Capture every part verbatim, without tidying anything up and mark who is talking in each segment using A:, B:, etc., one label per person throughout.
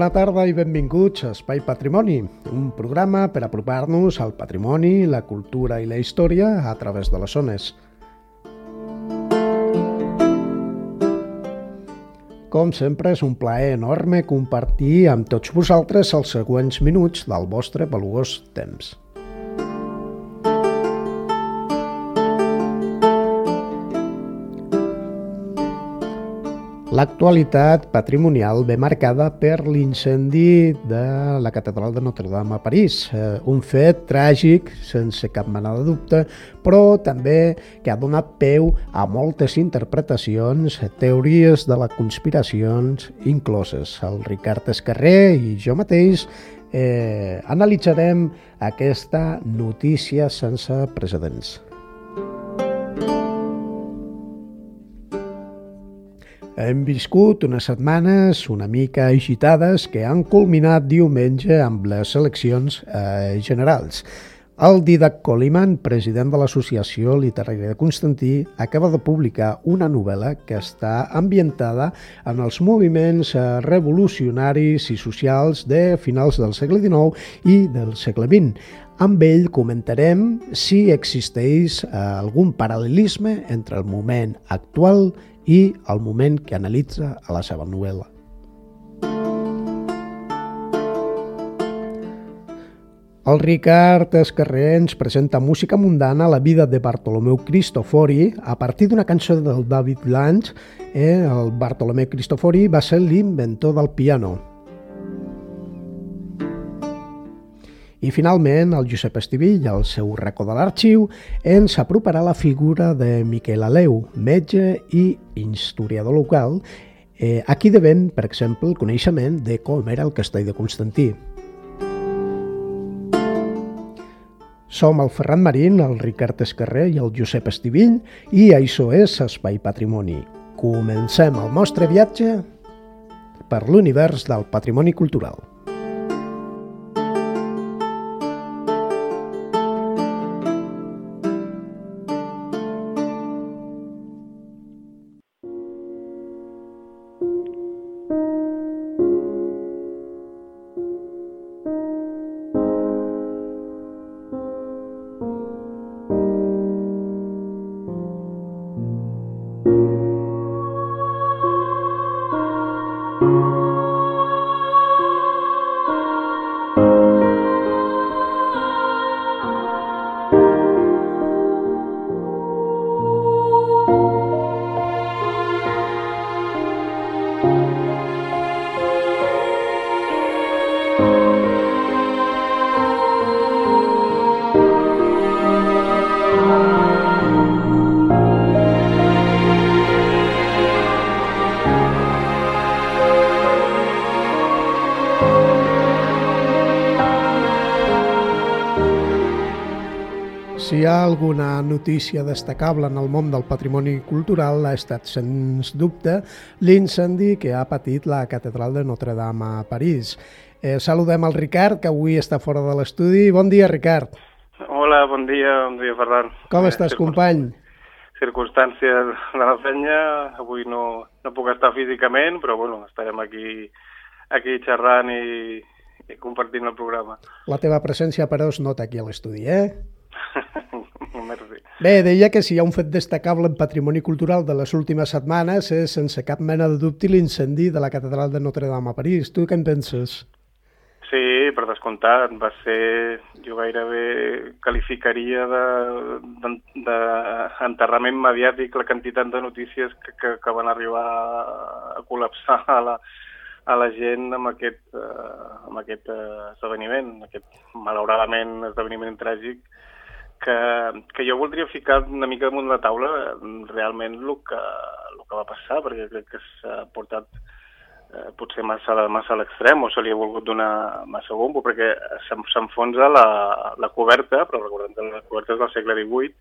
A: Bona tarda i benvinguts a Espai Patrimoni, un programa per apropar-nos al patrimoni, la cultura i la història a través de les zones. Com sempre, és un plaer enorme compartir amb tots vosaltres els següents minuts del vostre valuós temps. L'actualitat patrimonial ve marcada per l'incendi de la Catedral de Notre-Dame a París, un fet tràgic, sense cap mena de dubte, però també que ha donat peu a moltes interpretacions, teories de les conspiracions incloses. El Ricard Escarré i jo mateix eh, analitzarem aquesta notícia sense precedents. Hem viscut unes setmanes una mica agitades que han culminat diumenge amb les eleccions eh, generals. El Dídac Coliman, president de l'Associació Literària de Constantí, acaba de publicar una novel·la que està ambientada en els moviments eh, revolucionaris i socials de finals del segle dinou i del segle vint. Amb ell comentarem si existeix eh, algun paral·lelisme entre el moment actual i el moment que analitza a la seva novel·la. El Ricard Escarré ens presenta música mundana, la vida de Bartolomeu Cristofori, a partir d'una cançó del David Lange. Eh, el Bartolomeu Cristofori va ser l'inventor del piano. I finalment, el Josep Estivill, al seu racó de l'arxiu, ens aproparà la figura de Miquel Aleu, metge i historiador local, eh, a qui devem, per exemple, el coneixement de com era el castell de Constantí. Som el Ferran Marín, el Ricard Escarré i el Josep Estivill, i això és Espai Patrimoni. Comencem el nostre viatge per l'univers del patrimoni cultural. Si hi ha alguna notícia destacable en el món del patrimoni cultural, ha estat, sens dubte, l'incendi que ha patit la Catedral de Notre-Dame a París. Eh, saludem el Ricard, que avui està fora de l'estudi. Bon dia, Ricard.
B: Hola, bon dia, bon dia, Ferran.
A: Com estàs, Circun... company?
B: Circumstàncies de la feina. Avui no, no puc estar físicament, però bueno, estarem aquí, aquí xerrant i, i compartint el programa.
A: La teva presència, però, es nota aquí a l'estudi, eh?
B: Merci.
A: Bé, deia que si hi ha un fet destacable en patrimoni cultural de les últimes setmanes és, sense cap mena de dubte, l'incendi de la Catedral de Notre-Dame a París. Tu què en penses?
B: Sí, per descomptat. Va ser, jo gairebé qualificaria d'enterrament mediàtic la quantitat de notícies que, que, que van arribar a col·lapsar a la, a la gent amb aquest, uh, amb aquest uh, esdeveniment, aquest malauradament esdeveniment tràgic, que, que jo voldria ficar una mica damunt la taula realment el que, el que va passar, perquè crec que s'ha portat eh, potser massa, massa a l'extrem, o se li ha volgut donar massa bombo, perquè s'enfonsa la, la coberta, però recordem que la coberta és del segle divuit,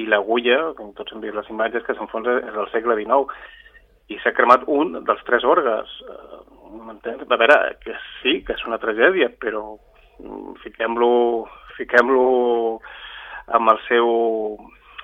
B: i l'agulla, com tots hem vist les imatges, que s'enfonsa és del segle dinou, i s'ha cremat un dels tres orgues. M'entens? A veure, que sí, que és una tragèdia, però fiquem-lo fiquem-lo amb el seu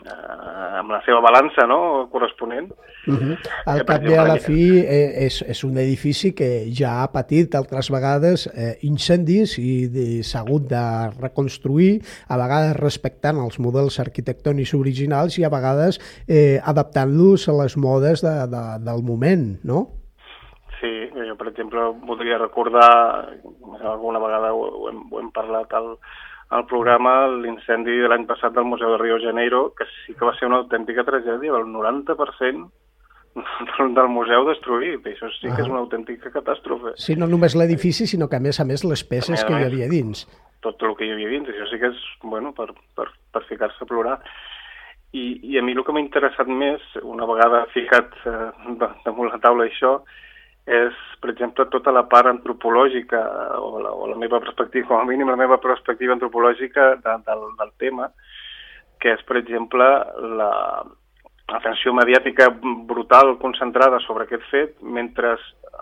B: eh, amb la seva balança, no?, corresponent.
A: Uh-huh. Al cap i a la fi eh, és, és un edifici que ja ha patit altres vegades eh, incendis i s'ha hagut de reconstruir, a vegades respectant els models arquitectònics originals i a vegades eh, adaptant-los a les modes de, de, del moment, no?
B: Sí, jo per exemple voldria recordar, alguna vegada ho, ho, hem, ho hem parlat al al programa, l'incendi de l'any passat del Museu de Rio de Janeiro, que sí que va ser una autèntica tragèdia, el noranta per cent del museu destruït, i això sí que és una autèntica catàstrofe.
A: Sí, no només l'edifici, sinó que a més a més les peces que hi havia dins.
B: Tot el que hi havia dins, això sí que és, bueno, per, per, per ficar-se a plorar. I, I a mi el que m'ha interessat més, una vegada ficat eh, damunt la taula això, és, per exemple, tota la part antropològica, o la, o la meva perspectiva, com a mínim la meva perspectiva antropològica de, del, del tema, que és, per exemple, l'atenció mediàtica brutal concentrada sobre aquest fet, mentre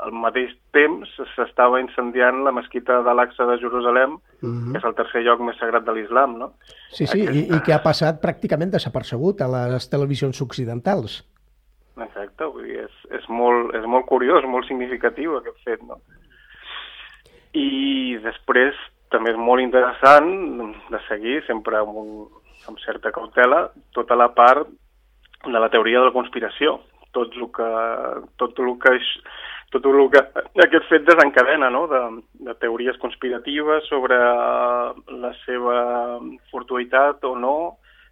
B: al mateix temps s'estava incendiant la mesquita d'Al-Aqsa de Jerusalem, uh-huh. que és el tercer lloc més sagrat de l'islam, no?
A: Sí, sí, Aquesta... i, i que ha passat pràcticament desapercebut a les televisions occidentals.
B: Exacte, vull dir, és, és, molt, és molt curiós, molt significatiu aquest fet, no? I després també és molt interessant de seguir, sempre amb, un, amb certa cautela, tota la part de la teoria de la conspiració, tot el que, tot el que, tot el que aquest fet desencadena, no? de, de teories conspiratives sobre la seva fortuïtat o no,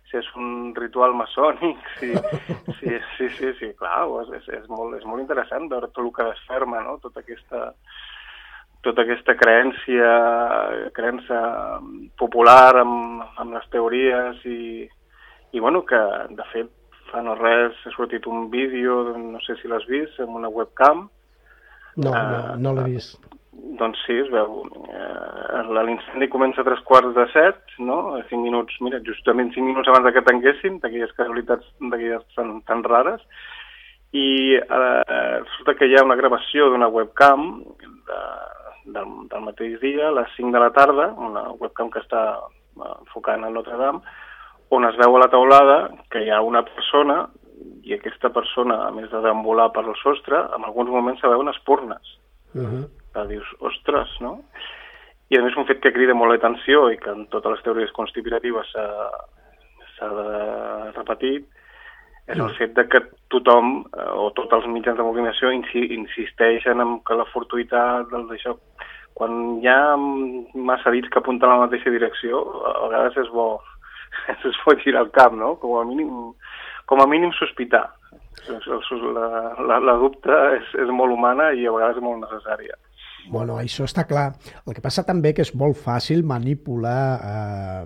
B: si és un ritual maçònic, sí, sí, sí, sí, sí, clar, és, és, molt, és molt interessant veure tot el que desferma, no? Tota aquesta, tota aquesta creença, creença popular amb, amb les teories i, i, bueno, que, de fet, fa no res ha sortit un vídeo, no sé si l'has vist, amb una webcam.
A: No, no, no l'he vist.
B: Doncs sí, es veu, eh, l'incendi comença a tres quarts de set, no? A cinc minuts, mira, justament cinc minuts abans que tanquessin, d'aquelles casualitats d'aquelles tan, tan rares, i eh, resulta que hi ha una gravació d'una webcam de, del, del mateix dia, a les cinc de la tarda, una webcam que està enfocant a Notre Dame, on es veu a la taulada que hi ha una persona, i aquesta persona, a més de deambular per el sostre, en alguns moments se veuen espurnes. Uh-huh. Que dius, ostres, no? I a més un fet que crida molt l'atenció i que en totes les teories conspiratives s'ha repetit és el fet de que tothom, o tots els mitjans de comunicació insisteixen en que la fortuïtat d'això, quan hi ha massa dits que apunten a la mateixa direcció, a vegades és bo, es pot girar el cap, no? Com a mínim, com a mínim sospitar. La, la, la dubte és, és molt humana i a vegades és molt necessària.
A: Bueno, això està clar. El que passa també que és molt fàcil manipular eh,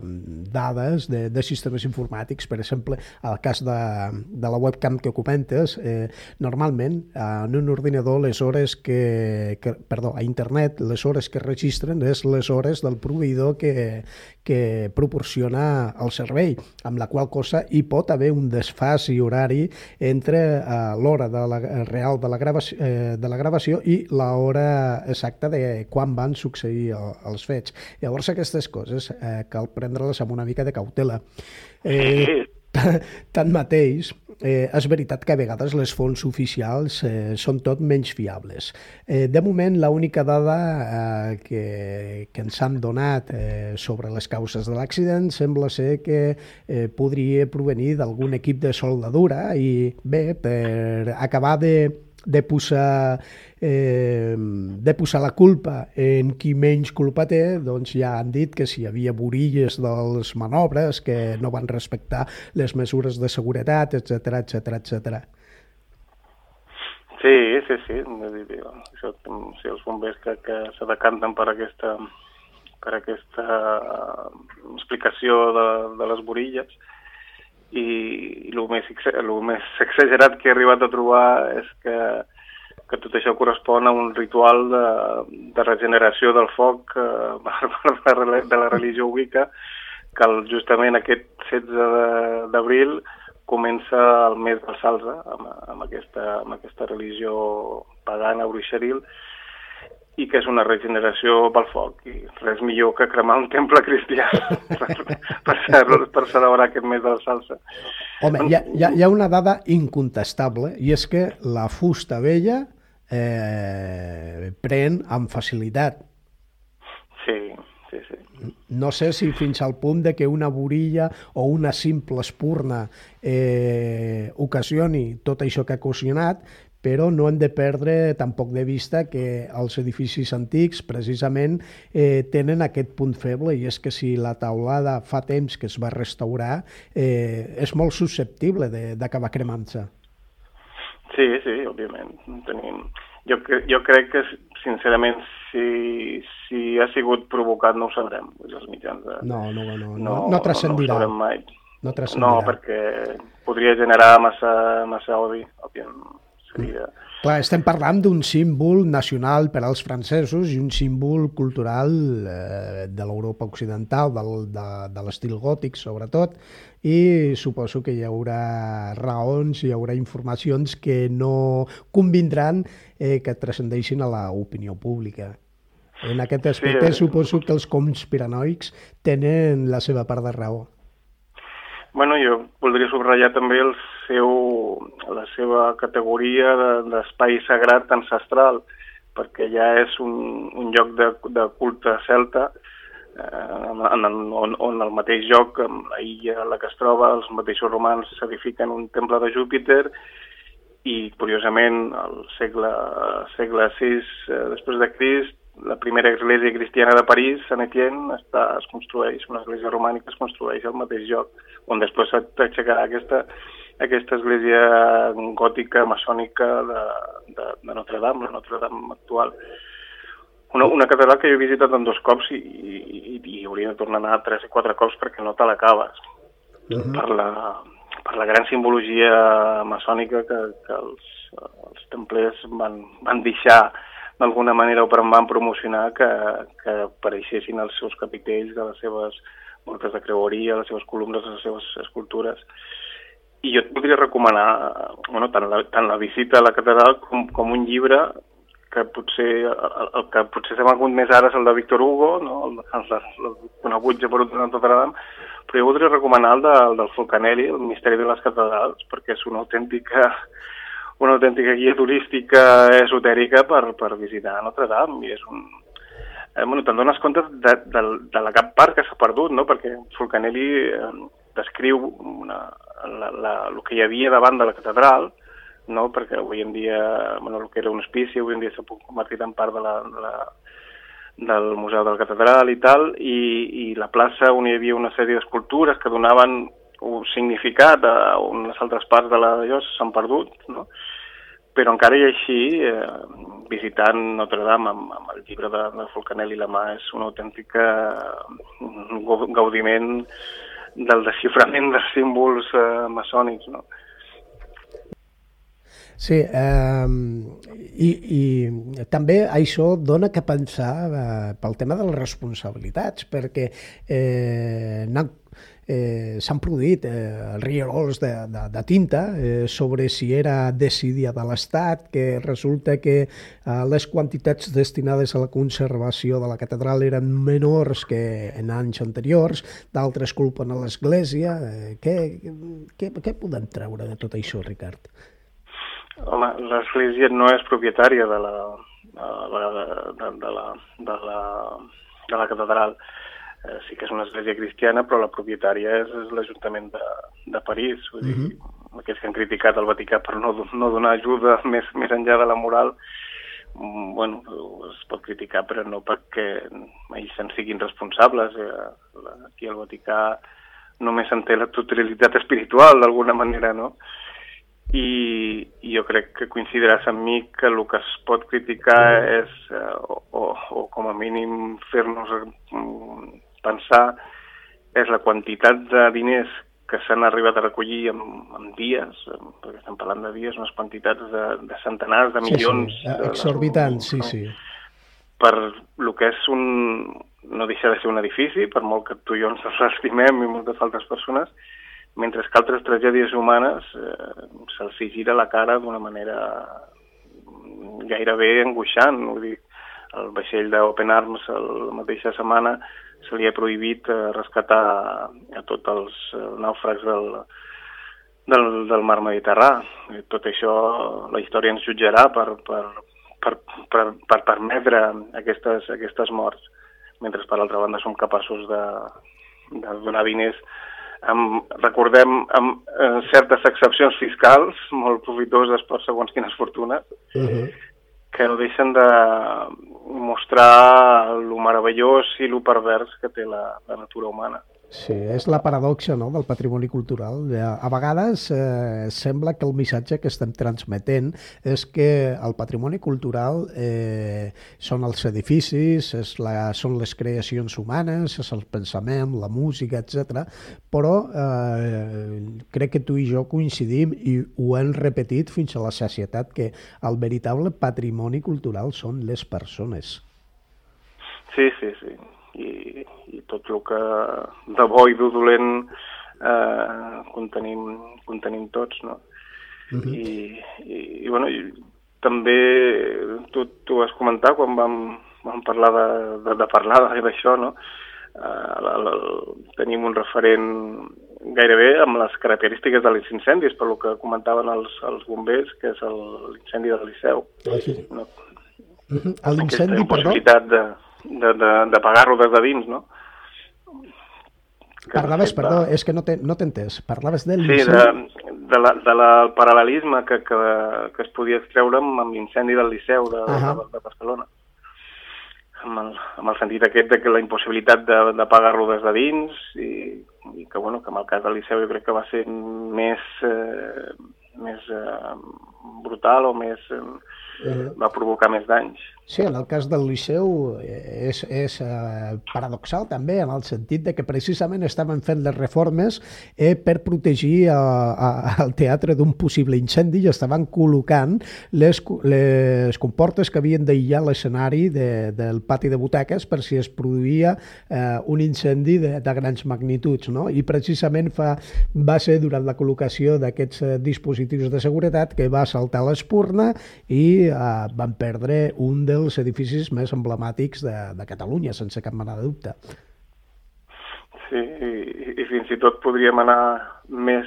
A: dades de, de sistemes informàtics. Per exemple, el cas de, de la webcam que comentes, eh, normalment en un ordinador les hores que, que, perdó, a internet les hores que registren és les hores del proveïdor que, que proporciona el servei, amb la qual cosa hi pot haver un desfàs horari entre eh, l'hora de la, real de la, gravació, eh, de la gravació i l'hora exacta de quan van succeir els fets. Llavors aquestes coses eh, cal prendre-les amb una mica de cautela. Eh, tanmateix, eh, és veritat que a vegades les fonts oficials eh, són tot menys fiables. Eh, de moment, l'única dada eh, que, que ens han donat eh, sobre les causes de l'accident sembla ser que eh, podria provenir d'algun equip de soldadura i bé, per acabar de de posar, eh, de posar la culpa en qui menys culpa té, doncs ja han dit que si hi havia burilles dels manobres, que no van respectar les mesures de seguretat, etcètera, etcètera, etcètera.
B: Sí, sí, sí. Això, si els bombers que, que se decanten per aquesta, per aquesta explicació de, de les burilles, i el més, el més exagerat que he arribat a trobar és que, que tot això correspon a un ritual de, de regeneració del foc eh, de la religió Wicca, que el, justament aquest setze d'abril comença el mes del Salze, amb, amb, aquesta, amb aquesta religió pagana, bruixeril, i que és una regeneració pel foc, i res millor que cremar un temple cristià per, per, per celebrar aquest mes de la salsa.
A: Home, hi ha, hi ha, hi ha una dada incontestable, i és que la fusta vella eh, pren amb facilitat.
B: Sí, sí, sí.
A: No sé si fins al punt de que una borilla o una simple espurna eh, ocasioni tot això que ha ocasionat, però no hem de perdre tampoc de vista que els edificis antics precisament eh, tenen aquest punt feble, i és que si la teulada fa temps que es va restaurar, eh, és molt susceptible d'acabar cremant-se.
B: Sí, sí, òbviament. Tenim... Jo, jo crec que, sincerament, si, si ha sigut provocat no ho sabrem. Els mitjans de...
A: No, no, no, no,
B: no,
A: no transcendirà.
B: No ho sabrem mai.
A: No transcendirà.
B: No, perquè podria generar massa, massa odi, òbviament. Seria...
A: Clar, estem parlant d'un símbol nacional per als francesos i un símbol cultural eh, de l'Europa occidental, del, de, de l'estil gòtic sobretot, i suposo que hi haurà raons, hi haurà informacions que no convindran eh, que transcendeixin a l'opinió pública. En aquest aspecte sí, suposo que els conspiranoics tenen la seva part de raó.
B: Bueno, jo voldria subratllar també el seu, la seva categoria d'espai de, sagrat ancestral, perquè ja és un, un lloc de, de culte celta, eh, en, on, on el mateix lloc, la illa en la que es troba, els mateixos romans s'edifiquen un temple de Júpiter, i curiosament al segle, segle sis eh, després de Crist, la primera església cristiana de París, Sant Etienne, està, es construeix, una església romànica es construeix al mateix lloc, on després s'aixecarà aquesta, aquesta església gòtica, maçònica de, de, de Notre Dame, la Notre Dame actual. Una, una catedral que jo he visitat en dos cops i, i, i hauria de tornar a anar tres i quatre cops perquè no te l'acabes. Uh-huh. per, la, per la gran simbologia maçònica que, que els, els templers van, van deixar d'alguna manera o per van promocionar que, que apareixessin els seus capitells de les seves voltes de creueria, les seves columnes, les seves escultures. I jo et podria recomanar bueno, tant, la, tant la visita a la catedral com, com un llibre que potser el, el que potser s'ha conegut més ara és el de Victor Hugo, no? el, el, el conegut Geperut de Notre Dame, però jo voldria recomanar el, de, el del Fulcanelli, el misteri de les catedrals, perquè és una autèntica una autèntica guia turística esotèrica per, per visitar Notre Dame, i és un... Eh, bueno, te'n dones compte de, de, de la cap part que s'ha perdut, no? Perquè Fulcanelli eh, descriu una, la, la, el que hi havia davant de la catedral, no? Perquè avui en dia, bueno, el que era un hospici, avui en dia s'ha convertit en part de la, de la, del Museu de la Catedral i tal, i, i la plaça on hi havia una sèrie d'escultures que donaven un significat a unes altres parts de la llosa s'han perdut, no? Però encara i així, eh, visitant Notre Dame amb, amb el llibre de, de Fulcanelli a la mà és un autèntic gaudiment del desxiframent dels símbols eh, maçònics, no?
A: Sí, eh, i, i també això dona que pensar eh, pel tema de les responsabilitats, perquè eh, eh, s'han produït eh, rierols de, de, de tinta eh, sobre si era desídia de l'Estat, que resulta que eh, les quantitats destinades a la conservació de la catedral eren menors que en anys anteriors, d'altres culpen a l'Església. Eh, què, què, què podem treure de tot això, Ricard?
B: Home, l'Església no és propietària de la, de la, de, de la, de la, de la catedral. Eh, sí que és una església cristiana, però la propietària és, és l'Ajuntament de, de París. Vull dir, uh-huh. Aquells que han criticat el Vaticà per no, no donar ajuda més, més enllà de la moral, bueno, es pot criticar, però no perquè ells se'n siguin responsables. Eh, aquí al Vaticà només en té la totalitat espiritual, d'alguna manera, no? I, i jo crec que coincidiràs amb mi que el que es pot criticar és, eh, o, o, o com a mínim fer-nos pensar, és la quantitat de diners que s'han arribat a recollir en, en dies, perquè estem parlant de dies, unes quantitats de, de centenars de milions.
A: Sí, sí, exorbitants, sí, sí.
B: Per el que és un... no deixa de ser un edifici, per molt que tu i jo ens l'estimem i moltes altres persones, mentre que altres tragèdies humanes eh, se'ls gira la cara d'una manera gairebé angoixant. Vull dir, el vaixell d'Open Arms la mateixa setmana se li ha prohibit eh, rescatar a, a tots els eh, nàufrags del, del, del mar Mediterrani. Tot això la història ens jutjarà per, per, per, per, per permetre aquestes, aquestes morts, mentre per altra banda som capaços de, de donar diners amb, recordem, amb eh, certes excepcions fiscals molt profitoses per segons quines fortunes, uh-huh. que no deixen de mostrar lo meravellós i lo pervers que té la, la natura humana.
A: Sí, és la paradoxa, no?, del patrimoni cultural. A vegades eh, sembla que el missatge que estem transmetent és que el patrimoni cultural eh, són els edificis, és la, són les creacions humanes, és el pensament, la música, etcètera. Però eh, crec que tu i jo coincidim i ho hem repetit fins a la sacietat, que el veritable patrimoni cultural són les persones.
B: Sí, sí, sí. I, i tot el que de bo i de dolent eh, contenim, contenim tots, no? Uh-huh. I, i, i, bueno, i també tu, tu vas comentar quan vam, vam parlar de, de, de parlar d'això, no? Eh, la, la, tenim un referent gairebé amb les característiques dels incendis, per lo que comentaven els, els bombers, que és l'incendi del Liceu.
A: Ah, sí.
B: No?
A: Uh-huh. L'incendi,
B: perdó? Possibilitat de de, de, de pagar-lo des de dins, no?
A: Que Parlaves, perdó, va... és que no t'he no entès. Parlaves de
B: l'incendi... Sí, de, de, la, de la paral·lelisme que, que, que es podia extreure amb l'incendi del Liceu de, uh-huh. de, de Barcelona. Amb el, amb el sentit aquest de que la impossibilitat de, de pagar-lo des de dins i, i que, bueno, que en el cas del Liceu jo crec que va ser més, eh, més eh, brutal o més... Eh, uh-huh. va provocar més danys.
A: Sí, en el cas del Liceu és, és eh, paradoxal també, en el sentit de que precisament estaven fent les reformes eh, per protegir a, a, el teatre d'un possible incendi i estaven col·locant les, les comportes que havien d'aïllar l'escenari de, del pati de butaques per si es produïa eh, un incendi de, de grans magnituds, no? I precisament fa, va ser durant la col·locació d'aquests eh, dispositius de seguretat que va saltar l'espurna i eh, van perdre un dels els edificis més emblemàtics de, de Catalunya, sense cap mena de dubte.
B: Sí, i, i fins i tot podríem anar més,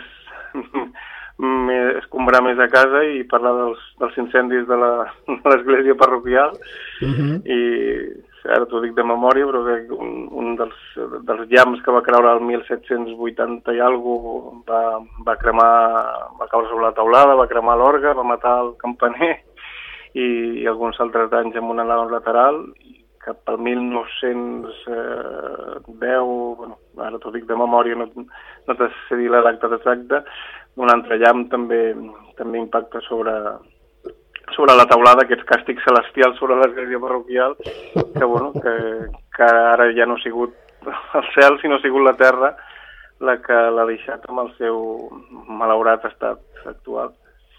B: més escombrar més a casa i parlar dels, dels incendis de l'església parroquial. Uh-huh. I ara t'ho dic de memòria, però que un, un dels, dels llamps que va creure el mil set-cents vuitanta i alguna cosa va, va cremar, va caure sobre la teulada, va cremar l'orgue, va matar el campaner i alguns altres danys amb una nau lateral, i cap al mil nou-cents deu, bueno, ara t'ho dic de memòria, no, no te sé dir la data exacta, un altre llamp també, també impacta sobre, sobre la teulada, aquests càstigs celestials sobre l'església parroquial, que, bueno, que, que ara ja no ha sigut el cel, sinó ha sigut la terra la que l'ha deixat amb el seu malaurat estat actual.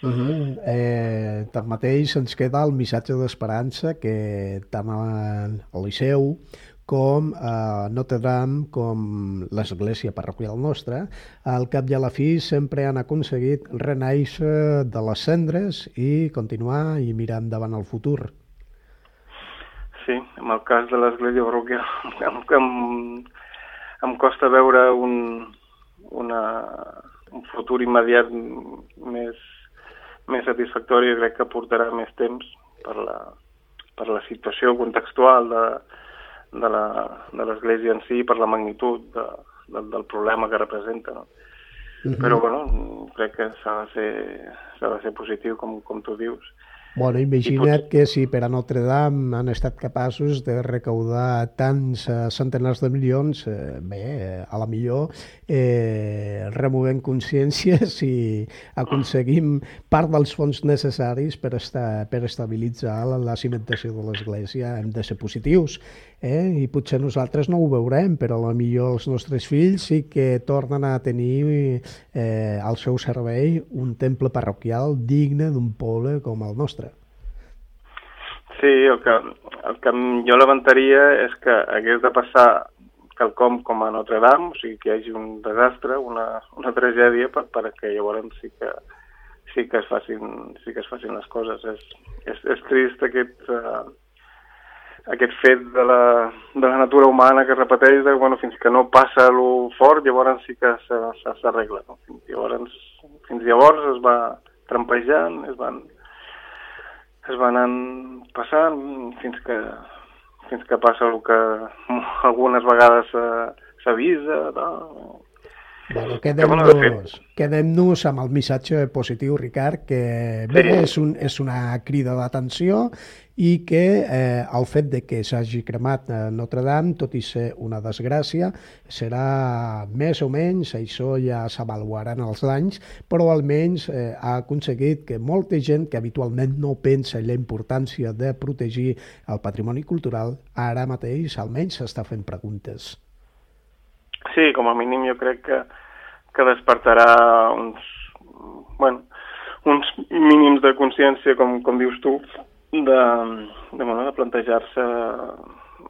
A: Uh-huh. eh, tanmateix ens queda el missatge d'esperança que tant al Liceu com a Notre Dame com l'església parroquial nostra al cap i a la fi sempre han aconseguit renaixer de les cendres i continuar i mirar endavant el futur.
B: Sí, en el cas de l'església parroquial em, em, em costa veure un, una, un futur immediat més més satisfactori, crec que portarà més temps per la, per la situació contextual de, de l'església en si, per la magnitud de, de, del problema que representa, no? Uh-huh. Però, bueno, crec que s'ha de ser, s'ha de ser positiu, com, com tu dius.
A: Bueno, imagina't pot... que si per a Notre Dame han estat capaços de recaudar tants uh, centenars de milions, eh, bé, eh, a la millor eh, removem consciències i aconseguim part dels fons necessaris per, estar, per estabilitzar la, la cimentació de l'església. Hem de ser positius, eh? I potser nosaltres no ho veurem, però a la millor els nostres fills sí que tornen a tenir eh, al seu servei un temple parroquial digne d'un poble com el nostre.
B: Sí, el que, el que jo levantaria és que hagués de passar quelcom com a Notre Dame, o sigui que hi hagi un desastre, una, una tragèdia, per, perquè llavors sí que, sí que es facin, sí que es facin les coses. És, és, és trist aquest, uh, aquest fet de la, de la natura humana que es repeteix, de, bueno, fins que no passa lo fort, llavors sí que s'arregla. No? Llavors, fins llavors es va trampejant, es van, es van anant passant fins que, fins que passa el que algunes vegades s'avisa. No?
A: Bueno, quedem-nos quedem-nos amb el missatge positiu, Ricard, que bé, sí. és, un, és una crida d'atenció i que eh, el fet de que s'hagi cremat Notre Dame, tot i ser una desgràcia, serà més o menys, això ja s'avaluaran els danys, però almenys eh, ha aconseguit que molta gent que habitualment no pensa en la importància de protegir el patrimoni cultural, ara mateix almenys s'està fent preguntes.
B: Sí, com a mínim jo crec que, que despertarà uns, bueno, uns mínims de consciència, com, com dius tu, de, de, bueno, de plantejar-se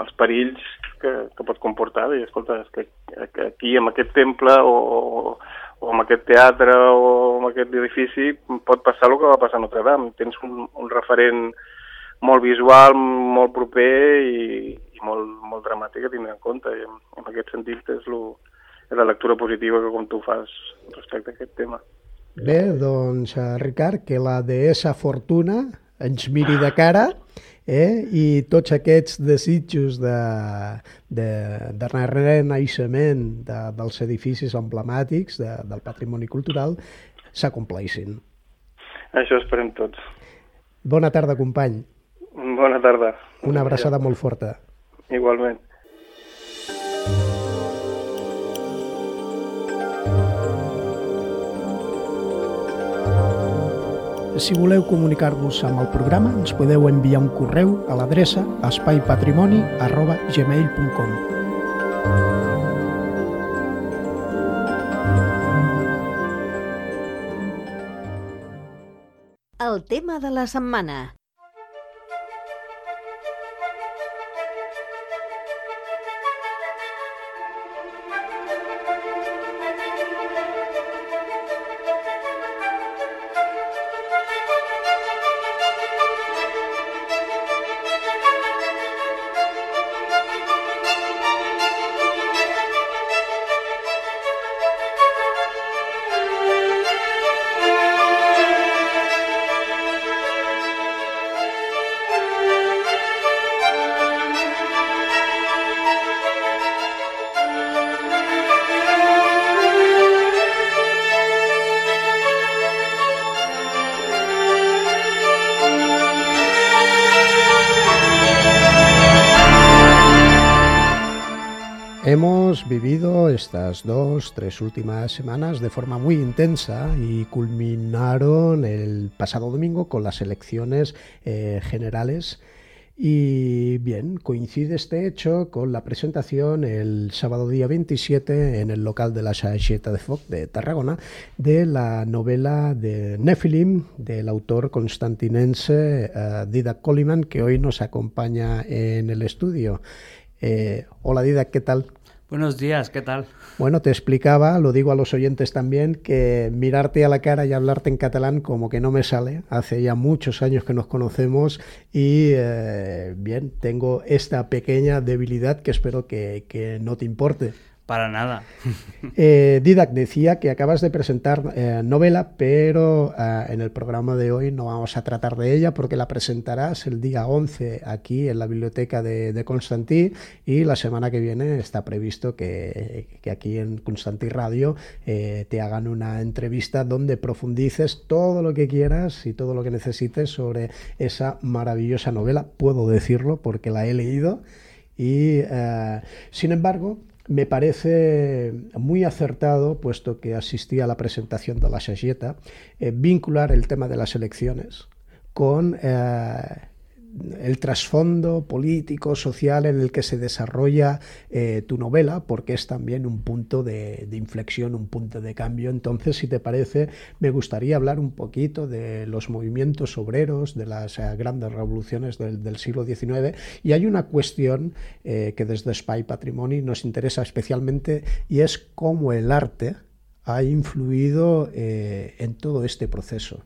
B: els perills que, que pot comportar. I, escolta, és que, que aquí, en aquest temple, o, o en aquest teatre, o en aquest edifici, pot passar el que va passar a Notre Dame. Tens un, un referent molt visual, molt proper i, i molt, molt dramàtic a tindre en compte. I en, en aquest sentit és, lo, és la lectura positiva que com tu fas respecte a aquest tema.
A: Bé, doncs, Ricard, que la deessa Fortuna ens miri de cara eh? I tots aquests desitjos de, de, de renaixement de, dels edificis emblemàtics de, del patrimoni cultural s'acompleixin.
B: Això esperem tots.
A: Bona tarda, company.
B: Bona tarda.
A: Una abraçada molt forta.
B: Igualment.
A: Si voleu comunicar-vos amb el programa, ens podeu enviar un correu a l'adreça espaipatrimoni arroba gmail punt com.
C: El tema de la setmana.
A: Hemos vivido estas dos, tres últimas semanas de forma muy intensa y culminaron el pasado domingo con las elecciones eh, generales. Y bien, coincide este hecho con la presentación el sábado día veintisiete en el local de la Saixeta de Foc de Tarragona de la novela de Nephilim del autor constantinense uh, Didac Koliman, que hoy nos acompaña en el estudio. Eh, hola Didac, ¿qué tal?
D: Buenos días, ¿qué tal?
A: Bueno, te explicaba, lo digo a los oyentes también, que mirarte a la cara y hablarte en catalán como que no me sale. Hace ya muchos años que nos conocemos y, eh, bien, tengo esta pequeña debilidad que espero que, que no te importe.
D: Para nada.
A: Eh, Didac, decía que acabas de presentar eh, novela, pero eh, en el programa de hoy no vamos a tratar de ella porque la presentarás el día once aquí en la biblioteca de, de Constantí, y la semana que viene está previsto que, que aquí en Constantí Radio eh, te hagan una entrevista donde profundices todo lo que quieras y todo lo que necesites sobre esa maravillosa novela. Puedo decirlo porque la he leído y, eh, sin embargo, me parece muy acertado, puesto que asistí a la presentación de la Saixeta, eh, vincular el tema de las elecciones con eh, el trasfondo político, social en el que se desarrolla eh, tu novela, porque es también un punto de, de inflexión, un punto de cambio. Entonces, si te parece, me gustaría hablar un poquito de los movimientos obreros, de las eh, grandes revoluciones del, del siglo diecinueve, y hay una cuestión eh, que desde Espai Patrimoni nos interesa especialmente, y es cómo el arte ha influido eh, en todo este proceso.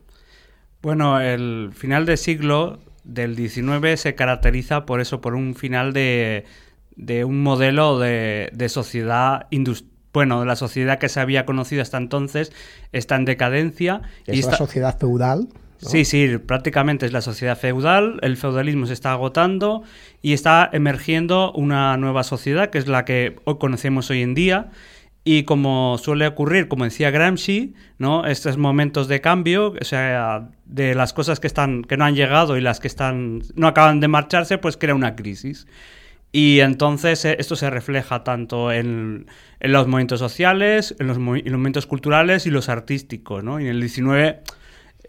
D: Bueno, el final de siglo del diecinueve se caracteriza por eso, por un final de, de un modelo de, de sociedad industrial. Bueno, la sociedad que se había conocido hasta entonces está en decadencia.
A: Es
D: y
A: la
D: está...
A: sociedad feudal, ¿no?
D: Sí, sí, prácticamente es la sociedad feudal, el feudalismo se está agotando y está emergiendo una nueva sociedad que es la que hoy conocemos hoy en día. Y como suele ocurrir, como decía Gramsci, ¿no? Estos momentos de cambio, o sea, de las cosas que están que no han llegado y las que están no acaban de marcharse, pues crea una crisis. Y entonces esto se refleja tanto en, en los movimientos sociales, en los, en los movimientos culturales y los artísticos, ¿no? Y en el diecinueve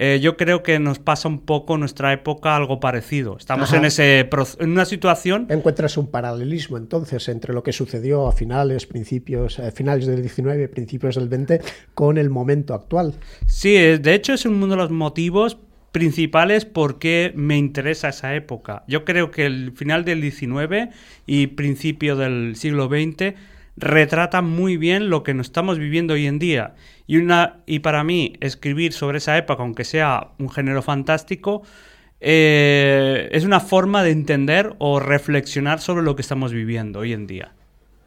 D: eh, yo creo que nos pasa un poco en nuestra época algo parecido. Estamos en, ese, en una situación...
A: Encuentras un paralelismo entonces entre lo que sucedió a finales, principios, eh, finales del diecinueve, principios del veinte, con el momento actual.
D: Sí, de hecho es uno de los motivos principales por qué me interesa esa época. Yo creo que el final del diecinueve y principio del siglo veinte retratan muy bien lo que nos estamos viviendo hoy en día. Y, una, y para mí, escribir sobre esa época, aunque sea un género fantástico, eh, es una forma de entender o reflexionar sobre lo que estamos viviendo hoy en día.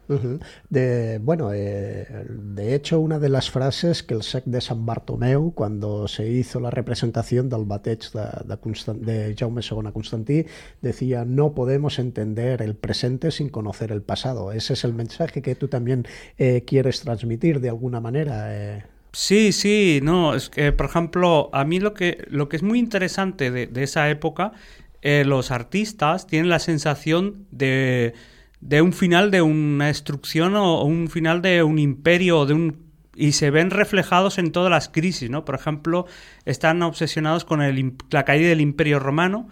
A: Uh-huh. De, bueno, eh, de hecho, una de las frases que el sec de Sant Bartomeu, cuando se hizo la representación del bateig de, de, Constant, de Jaume segundo Constantí, decía: no podemos entender el presente sin conocer el pasado. Ese es el mensaje que tú también eh, quieres transmitir de alguna manera. Eh.
D: Sí, sí, no, es que, por ejemplo, a mí lo que, lo que es muy interesante de, de esa época, eh, los artistas tienen la sensación de... de un final de una destrucción o un final de un imperio, de un y se ven reflejados en todas las crisis, ¿no? Por ejemplo, están obsesionados con el, la caída del Imperio Romano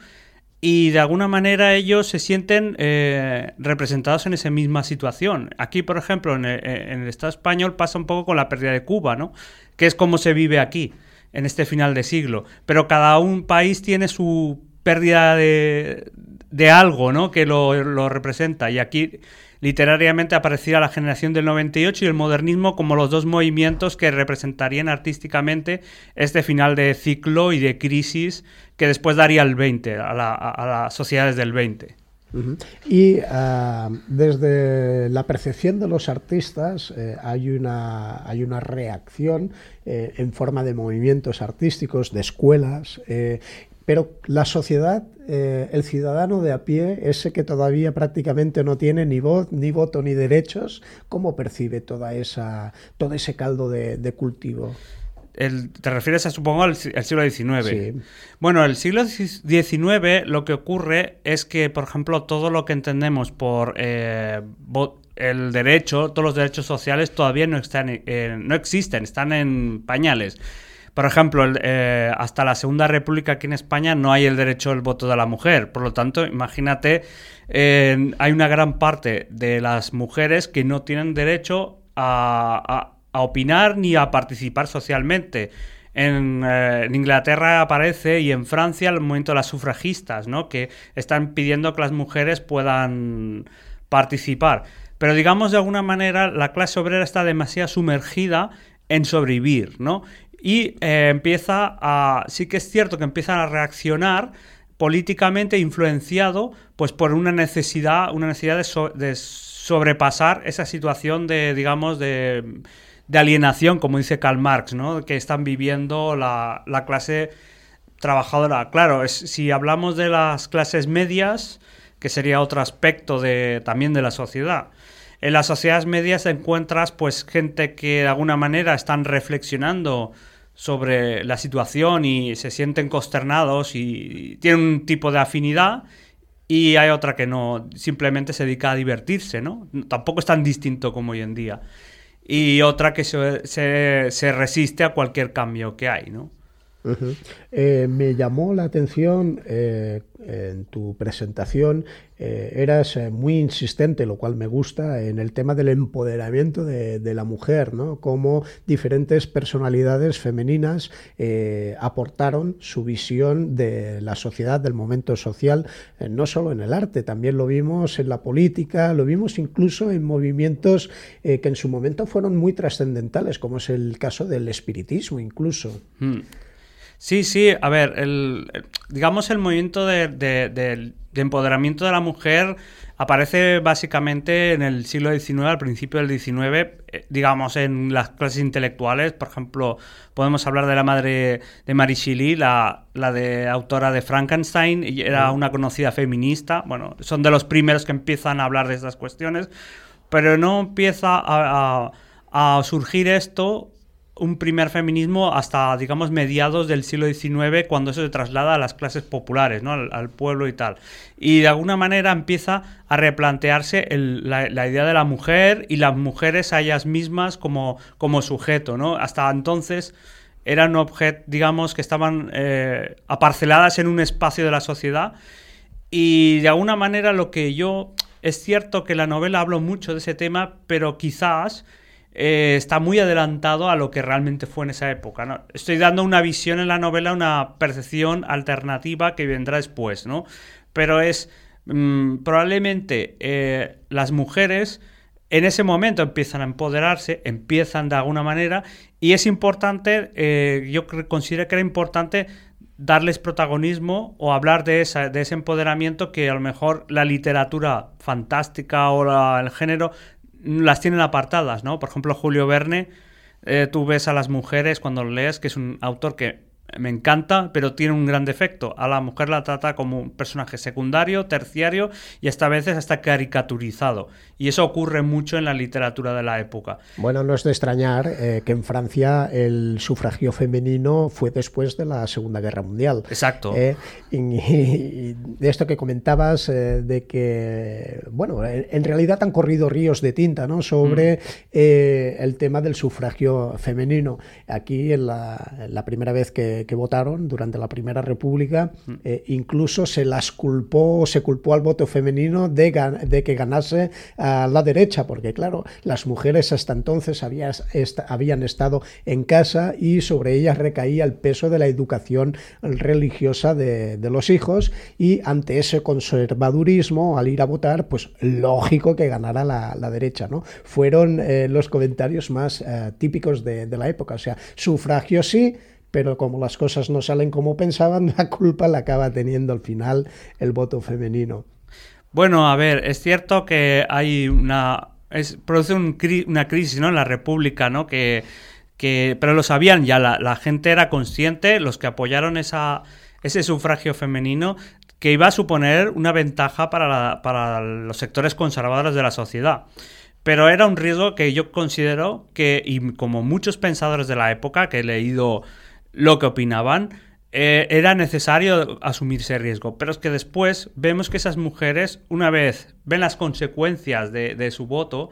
D: y de alguna manera ellos se sienten eh, representados en esa misma situación. Aquí, por ejemplo, en el, en el Estado español pasa un poco con la pérdida de Cuba, ¿no? Que es como se vive aquí, en este final de siglo. Pero cada un país tiene su pérdida de... de algo, ¿no? Que lo, lo representa. Y aquí literariamente aparecía la generación del noventa y ocho y el modernismo como los dos movimientos que representarían artísticamente este final de ciclo y de crisis que después daría el veinte, a, la, a las sociedades del veinte.
A: Uh-huh. Y uh, desde la percepción de los artistas eh, hay, una, hay una reacción eh, en forma de movimientos artísticos, de escuelas, eh, pero la sociedad, eh, el ciudadano de a pie, ese que todavía prácticamente no tiene ni voz, ni voto, ni derechos, ¿cómo percibe toda esa, todo ese caldo de, de cultivo?
D: El, ¿Te refieres, a, supongo, al, al siglo diecinueve?
A: Sí.
D: Bueno, el siglo diecinueve lo que ocurre es que, por ejemplo, todo lo que entendemos por eh, el derecho, todos los derechos sociales todavía no, están, eh, no existen, están en pañales. Por ejemplo, el, eh, hasta la Segunda República aquí en España no hay el derecho al voto de la mujer. Por lo tanto, imagínate, eh, hay una gran parte de las mujeres que no tienen derecho a, a, a opinar ni a participar socialmente. En, eh, en Inglaterra aparece y en Francia el movimiento de las sufragistas, ¿no? Que están pidiendo que las mujeres puedan participar. Pero digamos, de alguna manera, la clase obrera está demasiado sumergida en sobrevivir, ¿no? Y eh, empieza a... Sí que es cierto que empiezan a reaccionar políticamente influenciado pues por una necesidad, una necesidad de, so, de sobrepasar esa situación de, digamos, de, de alienación, como dice Karl Marx, ¿no? Que están viviendo la, la clase trabajadora. Claro, es, si hablamos de las clases medias, que sería otro aspecto de, también de la sociedad. En las sociedades medias encuentras pues gente que de alguna manera están reflexionando sobre la situación y se sienten consternados y tienen un tipo de afinidad, y hay otra que no, simplemente se dedica a divertirse, ¿no? Tampoco es tan distinto como hoy en día. Y otra que se, se, se resiste a cualquier cambio que hay, ¿no?
A: Uh-huh. Eh, me llamó la atención eh, en tu presentación, eh, eras eh, muy insistente, lo cual me gusta, en el tema del empoderamiento de, de la mujer, ¿no? Cómo diferentes personalidades femeninas eh, aportaron su visión de la sociedad, del momento social, eh, no solo en el arte, también lo vimos en la política, lo vimos incluso en movimientos eh, que en su momento fueron muy trascendentales, como es el caso del espiritismo incluso.
D: Hmm. Sí, sí, a ver, el, digamos el movimiento de, de, de, de empoderamiento de la mujer aparece básicamente en el siglo diecinueve, al principio del diecinueve, eh, digamos en las clases intelectuales. Por ejemplo, podemos hablar de la madre de Marie Shelley, la, la de autora de Frankenstein, y era una conocida feminista. Bueno, son de los primeros que empiezan a hablar de estas cuestiones, pero no empieza a, a, a surgir esto, un primer feminismo, hasta, digamos, mediados del siglo diecinueve, cuando eso se traslada a las clases populares, ¿no? al, al pueblo y tal. Y de alguna manera empieza a replantearse el, la, la idea de la mujer y las mujeres a ellas mismas como, como sujeto, ¿no? Hasta entonces eran objetos, digamos, que estaban eh, aparceladas en un espacio de la sociedad, y de alguna manera lo que yo... Es cierto que la novela habla mucho de ese tema, pero quizás... Eh, está muy adelantado a lo que realmente fue en esa época, ¿no? Estoy dando una visión en la novela, una percepción alternativa que vendrá después, ¿no? Pero es mmm, probablemente eh, las mujeres en ese momento empiezan a empoderarse, empiezan de alguna manera, y es importante, eh, yo considero que era importante darles protagonismo o hablar de, esa, de ese empoderamiento que a lo mejor la literatura fantástica o la, el género las tienen apartadas, ¿no? Por ejemplo, Julio Verne, eh, tú ves a las mujeres cuando lo lees, que es un autor que me encanta, pero tiene un gran defecto. A la mujer la trata como un personaje secundario, terciario, y esta vez hasta caricaturizado. Y eso ocurre mucho en la literatura de la época.
A: Bueno, no es de extrañar eh, que en Francia el sufragio femenino fue después de la Segunda Guerra Mundial.
D: Exacto.
A: Eh, y, y de esto que comentabas, eh, de que, bueno, en, en realidad han corrido ríos de tinta, ¿no? Sobre mm. eh, el tema del sufragio femenino. Aquí, en la, en la primera vez que que votaron durante la Primera República, eh, incluso se las culpó, se culpó al voto femenino de, de que ganase a la derecha, porque claro, las mujeres hasta entonces había, est habían estado en casa y sobre ellas recaía el peso de la educación religiosa de, de los hijos, y ante ese conservadurismo, al ir a votar, pues lógico que ganara la, la derecha, ¿no? Fueron eh, los comentarios más eh, típicos de, de la época, o sea, sufragio sí, pero como las cosas no salen como pensaban, la culpa la acaba teniendo al final el voto femenino.
D: Bueno, a ver, es cierto que hay una... Es, produce un cri una crisis, ¿no?, en la República, ¿no? Que, que, pero lo sabían ya, la, la gente era consciente, los que apoyaron esa, ese sufragio femenino, que iba a suponer una ventaja para, la, para los sectores conservadores de la sociedad. Pero era un riesgo que yo considero que, y como muchos pensadores de la época que he leído lo que opinaban, eh, era necesario asumir ese riesgo. Pero es que después vemos que esas mujeres, una vez ven las consecuencias de, de su voto,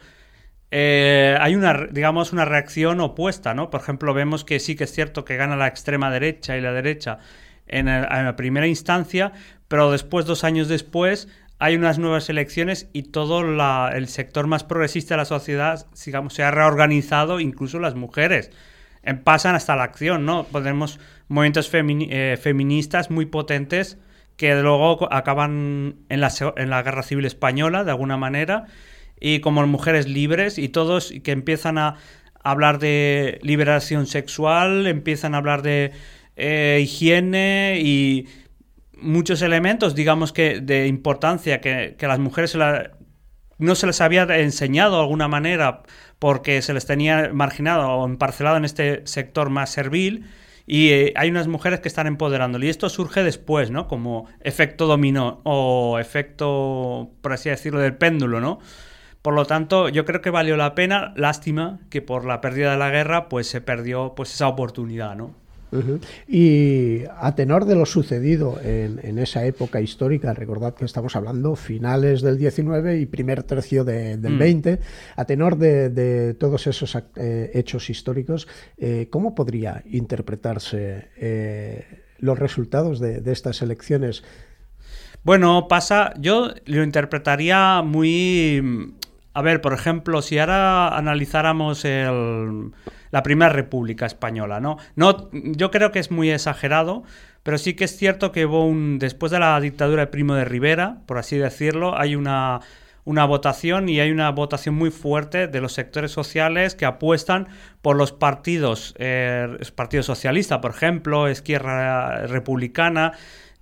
D: eh, hay una, digamos, una reacción opuesta, ¿no? Por ejemplo, vemos que sí que es cierto que gana la extrema derecha y la derecha en, el, en la primera instancia, pero después, dos años después, hay unas nuevas elecciones y todo la, el sector más progresista de la sociedad, digamos, se ha reorganizado, incluso las mujeres pasan hasta la acción, ¿no? Tenemos movimientos femini eh, feministas muy potentes que luego acaban en la, en la Guerra Civil Española, de alguna manera, y como mujeres libres, y todos que empiezan a hablar de liberación sexual, empiezan a hablar de eh, higiene y muchos elementos, digamos, que de importancia que, que a las mujeres se la, no se les había enseñado de alguna manera, porque se les tenía marginado o emparcelado en este sector más servil, y eh, hay unas mujeres que están empoderándolo. Y esto surge después, ¿no? Como efecto dominó o efecto, por así decirlo, del péndulo, ¿no? Por lo tanto, yo creo que valió la pena. Lástima que por la pérdida de la guerra pues se perdió pues esa oportunidad, ¿no?
A: Uh-huh. Y a tenor de lo sucedido en, en esa época histórica, recordad que estamos hablando finales del diecinueve y primer tercio de, del mm. veinte, a tenor de, de todos esos eh, hechos históricos, eh, ¿cómo podría interpretarse eh, los resultados de, de estas elecciones?
D: Bueno, pasa, yo lo interpretaría muy... A ver, por ejemplo, si ahora analizáramos el... la Primera República Española, ¿no? No, yo creo que es muy exagerado, pero sí que es cierto que hubo un, después de la dictadura de Primo de Rivera, por así decirlo, hay una, una votación y hay una votación muy fuerte de los sectores sociales que apuestan por los partidos, eh, Partido Socialista, por ejemplo, Izquierda Republicana,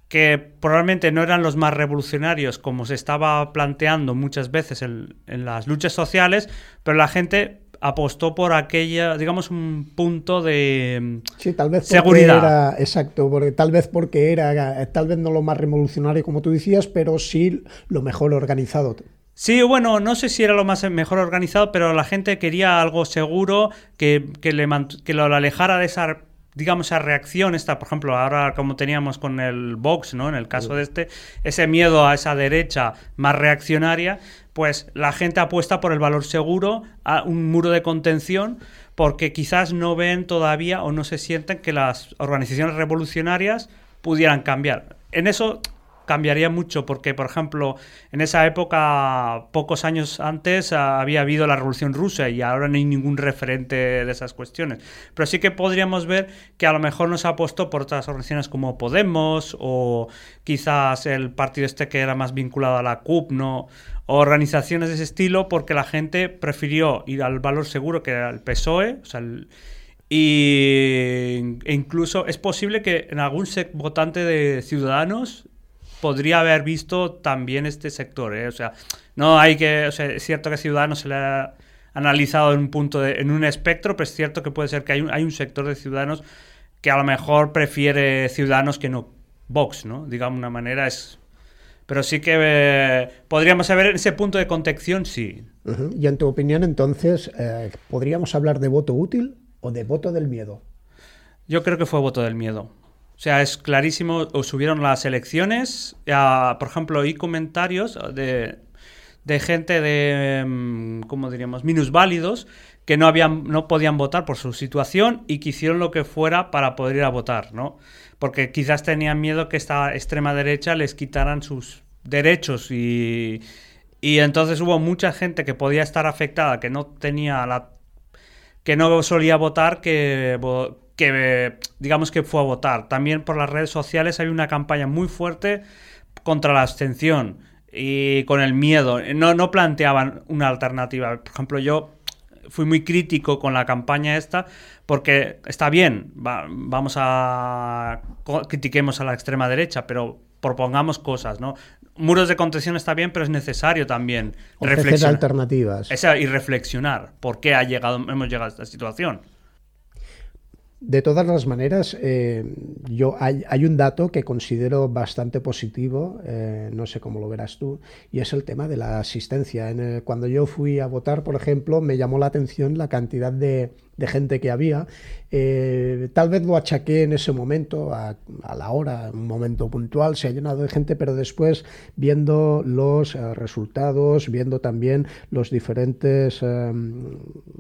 D: que probablemente no eran los más revolucionarios como se estaba planteando muchas veces en, en las luchas sociales, pero la gente apostó por aquella, digamos, un punto de
A: sí, tal vez
D: seguridad.
A: Era, exacto, porque tal vez porque era, tal vez no lo más revolucionario como tú decías, pero sí lo mejor organizado.
D: Sí, bueno, no sé si era lo más mejor organizado, pero la gente quería algo seguro que, que, le, que lo alejara de esa, digamos, esa reacción, esta, por ejemplo, ahora como teníamos con el Vox, ¿no? En el caso de este, ese miedo a esa derecha más reaccionaria, pues la gente apuesta por el valor seguro, a un muro de contención, porque quizás no ven todavía o no se sienten que las organizaciones revolucionarias pudieran cambiar. En eso cambiaría mucho porque, por ejemplo, en esa época, pocos años antes, había habido la Revolución Rusa y ahora no hay ningún referente de esas cuestiones. Pero sí que podríamos ver que a lo mejor nos apostó por otras organizaciones como Podemos o quizás el partido este que era más vinculado a la C U P, ¿no? O organizaciones de ese estilo, porque la gente prefirió ir al valor seguro que era el P S O E, o sea, el, y, e incluso es posible que en algún votante de Ciudadanos podría haber visto también este sector, ¿eh? O sea, no hay que, o sea, es cierto que Ciudadanos se le ha analizado en un punto de, en un espectro, pero es cierto que puede ser que hay un, hay un sector de Ciudadanos que a lo mejor prefiere Ciudadanos que no Vox, ¿no? Digamos una manera es, pero sí que eh, podríamos saber en ese punto de contención, sí.
A: Uh-huh. Y en tu opinión, entonces, eh, ¿podríamos hablar de voto útil o de voto del miedo?
D: Yo creo que fue voto del miedo. O sea, es clarísimo, o subieron las elecciones, a, por ejemplo, hay comentarios de, de gente de, ¿cómo diríamos?, minusválidos, que no, habían, no podían votar por su situación y que hicieron lo que fuera para poder ir a votar, ¿no? Porque quizás tenían miedo que esta extrema derecha les quitaran sus derechos y, y entonces hubo mucha gente que podía estar afectada, que no tenía la, que no solía votar, que... que digamos que fue a votar. También por las redes sociales hay una campaña muy fuerte contra la abstención y con el miedo. No, no planteaban una alternativa. Por ejemplo, yo fui muy crítico con la campaña esta porque está bien, va, vamos a... critiquemos a la extrema derecha, pero propongamos cosas, ¿no? Muros de contención está bien, pero es necesario también
A: reflexionar alternativas.
D: Esa, y reflexionar por qué ha llegado, hemos llegado a esta situación.
A: De todas las maneras, eh, yo hay, hay un dato que considero bastante positivo, eh, no sé cómo lo verás tú, y es el tema de la asistencia. En el, cuando yo fui a votar, por ejemplo, me llamó la atención la cantidad de, de gente que había. Eh, tal vez lo achaqué en ese momento, a, a la hora, un momento puntual, se ha llenado de gente, pero después viendo los eh, resultados, viendo también los diferentes eh,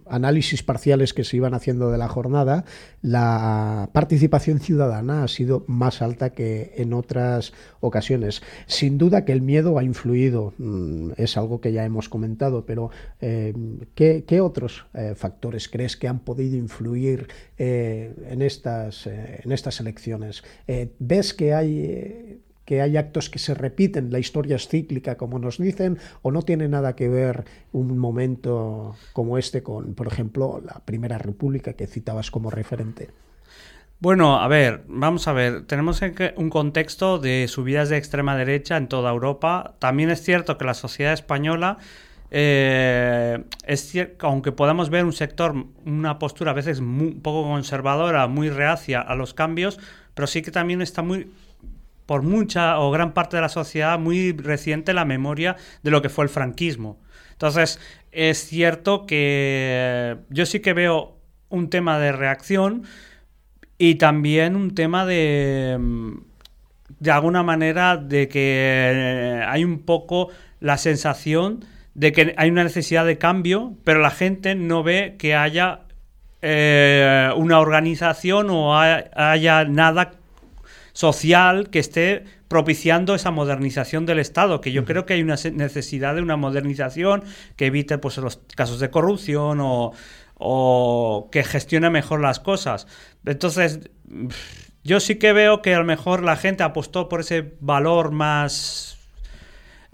A: análisis parciales que se iban haciendo de la jornada, la participación ciudadana ha sido más alta que en otras ocasiones. Sin duda que el miedo ha influido, es algo que ya hemos comentado, pero eh, ¿qué, qué otros eh, factores crees que han podido influir eh, en, estas, eh, en estas elecciones? Eh, ¿Ves que hay... Eh, que hay actos que se repiten, la historia es cíclica, como nos dicen, o no tiene nada que ver un momento como este con, por ejemplo, la Primera República que citabas como referente?
D: Bueno, a ver, vamos a ver, tenemos un contexto de subidas de extrema derecha en toda Europa. También es cierto que la sociedad española, eh, es cierto, aunque podamos ver un sector, una postura a veces muy, un poco conservadora, muy reacia a los cambios, pero sí que también está muy... por mucha o gran parte de la sociedad muy reciente la memoria de lo que fue el franquismo. Entonces, es cierto que yo sí que veo un tema de reacción y también un tema de, de alguna manera, de que hay un poco la sensación de que hay una necesidad de cambio, pero la gente no ve que haya eh, una organización o haya nada social que esté propiciando esa modernización del Estado, que yo uh-huh. creo que hay una necesidad de una modernización que evite pues los casos de corrupción o, o que gestione mejor las cosas. Entonces, yo sí que veo que a lo mejor la gente apostó por ese valor más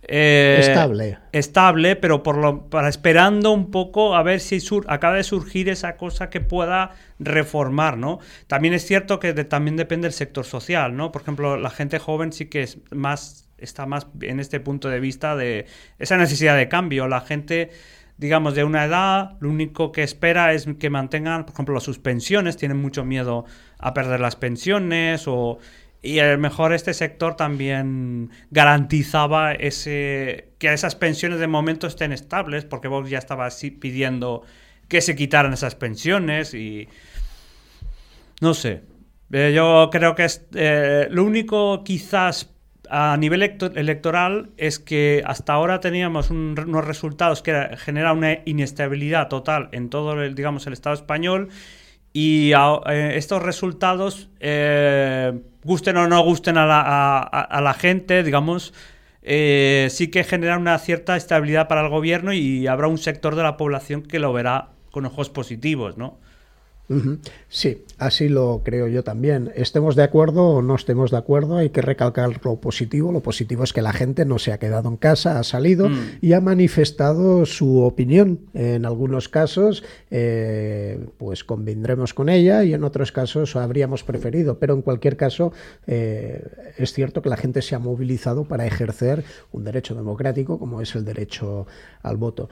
D: Eh,
A: estable.
D: Estable, pero por lo, para esperando un poco a ver si sur, acaba de surgir esa cosa que pueda reformar, ¿no? También es cierto que de, también depende del sector social, ¿no? Por ejemplo, la gente joven sí que es más, está más en este punto de vista de esa necesidad de cambio. La gente, digamos, de una edad, lo único que espera es que mantengan, por ejemplo, sus pensiones, tienen mucho miedo a perder las pensiones o... Y a lo mejor este sector también garantizaba ese que esas pensiones de momento estén estables, porque Vox ya estaba así pidiendo que se quitaran esas pensiones y... No sé. Eh, yo creo que es, eh, lo único quizás a nivel electoral es que hasta ahora teníamos un, unos resultados que generan una inestabilidad total en todo el, digamos, el Estado español. Y a, eh, estos resultados, eh, gusten o no gusten a la, a, a la gente, digamos, eh, sí que generan una cierta estabilidad para el gobierno y habrá un sector de la población que lo verá con ojos positivos, ¿no?
A: Uh-huh. Sí, así lo creo yo también. Estemos de acuerdo o no estemos de acuerdo, hay que recalcar lo positivo. Lo positivo es que la gente no se ha quedado en casa, ha salido mm. y ha manifestado su opinión. En algunos casos, eh, pues convendremos con ella y en otros casos habríamos preferido. Pero en cualquier caso, eh, es cierto que la gente se ha movilizado para ejercer un derecho democrático como es el derecho al voto.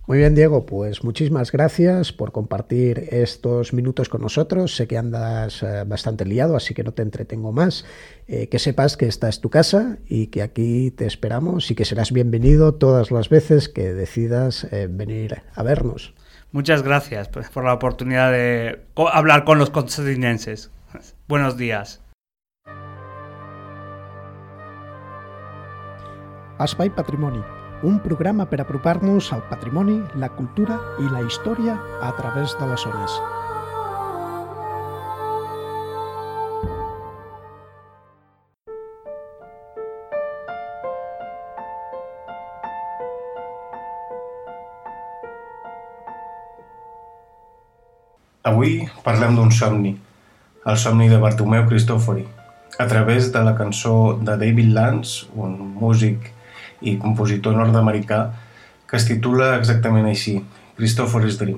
A: Muy bien, Diego, pues muchísimas gracias por compartir estos minutos con nosotros. Sé que andas eh, bastante liado, así que no te entretengo más. Eh, que sepas que esta es tu casa y que aquí te esperamos y que serás bienvenido todas las veces que decidas eh, venir a vernos.
D: Muchas gracias por la oportunidad de hablar con los constantinienses. Buenos días.
A: Espai Patrimoni, un programa per apropar-nos al patrimoni, la cultura i la història a través de les zones.
E: Avui parlem d'un somni, el somni de Bartomeu Cristòfori, a través de la cançó de David Lance, un músic i compositor nord-americà, que es titula exactament així, Cristòfori's Dream.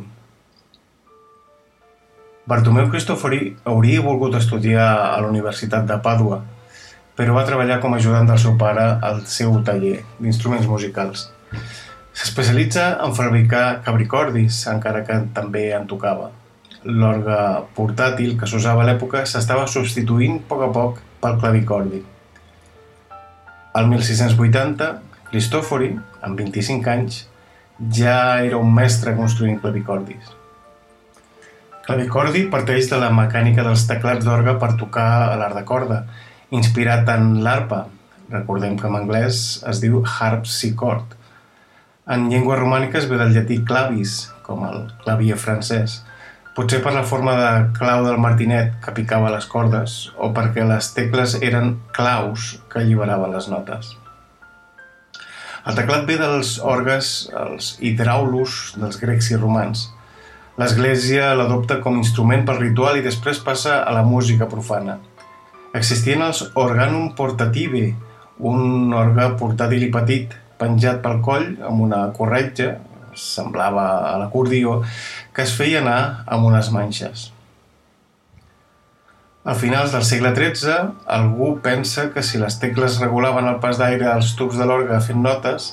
E: Bartomeu Cristòfori hauria volgut estudiar a la Universitat de Pàdua, però va treballar com a ajudant del seu pare al seu taller d'instruments musicals. S'especialitza en fabricar cabricordis, encara que també en tocava. L'orgue portàtil que s'usava a l'època s'estava substituint a poc a poc pel clavicordi. Al mil sis-cents vuitanta, Cristòfori, amb vint-i-cinc anys, ja era un mestre construint clavicordis. Clavicordi parteix de la mecànica dels teclats d'orgue per tocar a l'art de corda, inspirat en l'arpa, recordem que en anglès es diu harpsichord. En llengües romàniques ve del llatí clavis, com el clavier francès, potser per la forma de clau del martinet que picava les cordes o perquè les tecles eren claus que alliberaven les notes. El teclat ve dels orgues, els hidraulos dels grecs i romans. L'Església l'adopta com a instrument pel ritual i després passa a la música profana. Existien els organum portative, un orgue portàtil i petit, penjat pel coll amb una corretja, semblava a l'acordió, que es feia anar amb unes manxes. A finals del segle tretze, algú pensa que si les tecles regulaven el pas d'aire als tubs de l'orgue fent notes,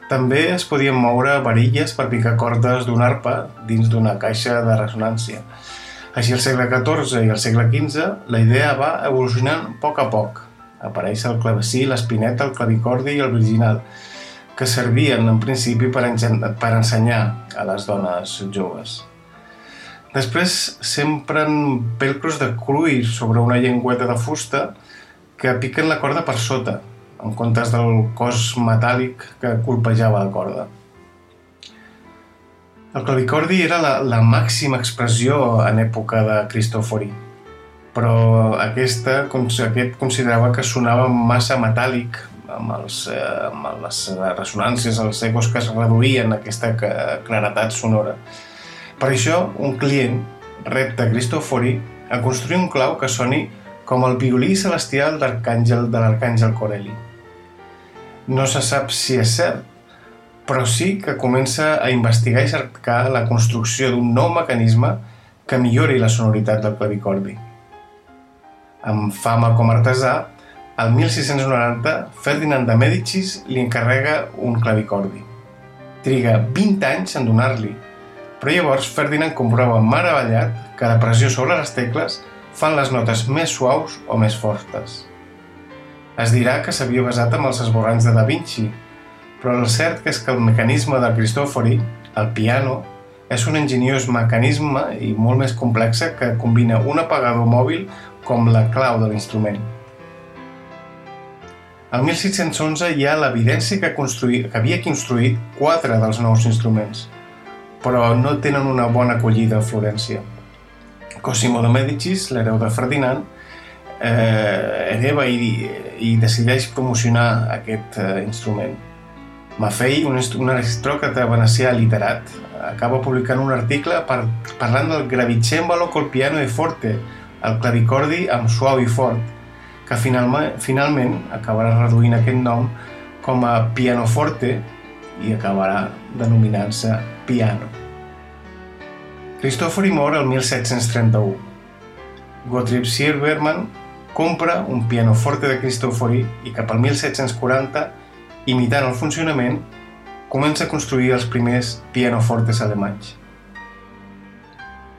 E: també es podien moure varilles per picar cordes d'una arpa dins d'una caixa de ressonància. Així al segle catorze i al segle quinze, la idea va evolucionant a poc a poc. Apareix el clavecí, l'espineta, el clavicordi i el virginal, que servien en principi per ensenyar a les dones joves. Després s'empren velcros de cuir sobre una llengüeta de fusta que piquen la corda per sota, en comptes del cos metàl·lic que colpejava la corda. El clavicordi era la, la màxima expressió en època de Cristòfori, però aquesta, aquest considerava que sonava massa metàl·lic, amb, els, eh, amb les ressonàncies, els ecos que es reduïen a aquesta claretat sonora. Per això, un client repta Cristòfori a construir un clau que soni com el violí celestial de l'arcàngel Corelli. No se sap si és cert, però sí que comença a investigar i cercar la construcció d'un nou mecanisme que millori la sonoritat del clavicordi. Amb fama com a artesà, el mil sis-cents noranta, Ferdinand de Mèdicis li encarrega un clavicordi. Triga vint anys en donar-li, però llavors Ferdinand comprova meravellat que la pressió sobre les tecles fan les notes més suaus o més fortes. Es dirà que s'havia basat en els esborranys de Da Vinci, però el cert és que el mecanisme de Cristofori, el piano, és un enginyós mecanisme i molt més complex que combina un apagador mòbil com la clau de l'instrument. El mil sis-cents onze hi ha l'evidència que, construï... que havia construït quatre dels nous instruments, però no tenen una bona acollida a Florència. Cosimo de Mèdicis, l'hereu de Ferdinand, eh, hereva i, i decideix promocionar aquest eh, instrument. Maffei, un, un aristòcrata venecià literat, acaba publicant un article per, parlant del gravicembalo col piano e forte, el clavicordi amb suau i fort, que finalment, finalment acabarà reduint aquest nom com a pianoforte i acabarà denominant-se piano. Cristofori mor el mil set-cents trenta-u. Gottlieb Siebermann compra un pianoforte de Cristofori i cap al mil set-cents quaranta, imitant el funcionament, comença a construir els primers pianofortes alemanys.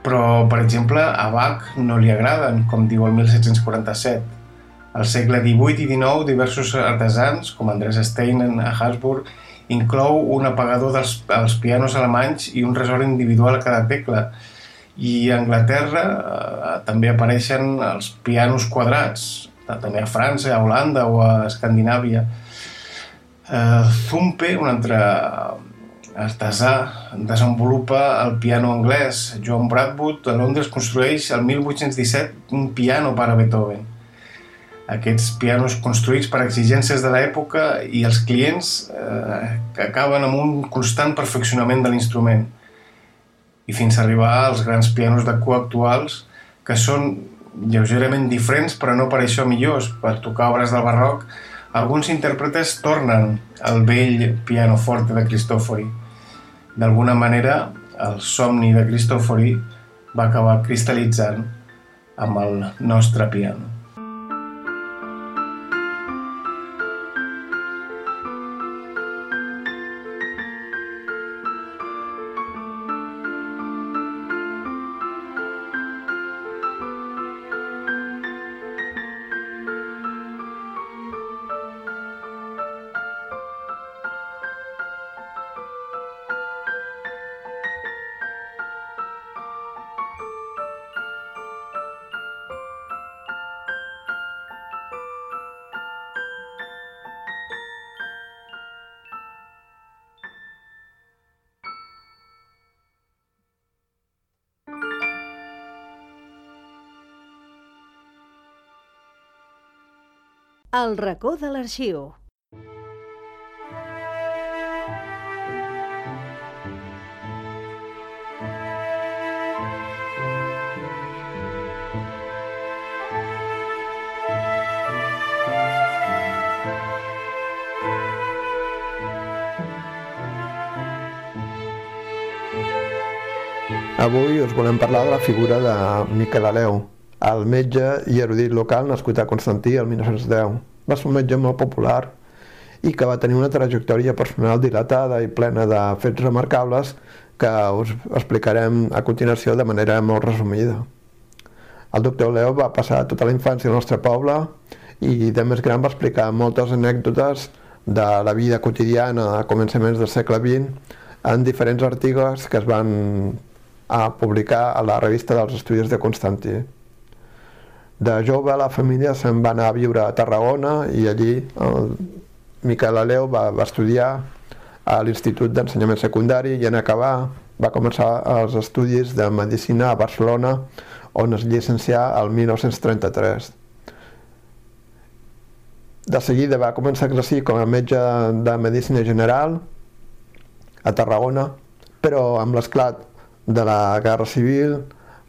E: Però, per exemple, a Bach no li agraden, com diu el mil set-cents quaranta-set. Al segle divuit i dinou, diversos artesans, com Andres Steinen a Habsburg, inclou un apagador dels, dels pianos alemanys i un resort individual a cada tecla. I a Anglaterra eh, també apareixen els pianos quadrats, també a França, a Holanda o a Escandinàvia. Eh, Zumpe, un altre artesà, desenvolupa el piano anglès. John Bradwood, a Londres, construeix el mil vuit-cents disset un piano per a Beethoven. Aquests pianos construïts per exigències de l'època i els clients eh, que acaben amb un constant perfeccionament de l'instrument. I fins a arribar als grans pianos de cua actuals, que són lleugerament diferents, però no per això millors. Per tocar obres del barroc, alguns intèrpretes tornen al vell pianoforte de Cristofori. D'alguna manera, el somni de Cristofori va acabar cristal·litzant amb el nostre piano.
C: El racó de l'arxiu.
F: Avui us volem parlar de la figura de Miquel Aleu, el metge i erudit local nascut a Constantí el mil nou-cents deu. Va ser un metge molt popular i que va tenir una trajectòria personal dilatada i plena de fets remarcables que us explicarem a continuació de manera molt resumida. El doctor Aleu va passar tota la infància al nostre poble i de més gran va explicar moltes anècdotes de la vida quotidiana a començaments del segle vint en diferents articles que es van a publicar a la revista dels Estudis de Constantí. De jove la família se'n va anar a viure a Tarragona i allí el Miquel Aleu va, va estudiar a l'Institut d'Ensenyament Secundari i en acabar va començar els estudis de Medicina a Barcelona on es llicencià el mil nou-cents trenta-tres. De seguida va començar a exercir com a metge de Medicina General a Tarragona, però amb l'esclat de la Guerra Civil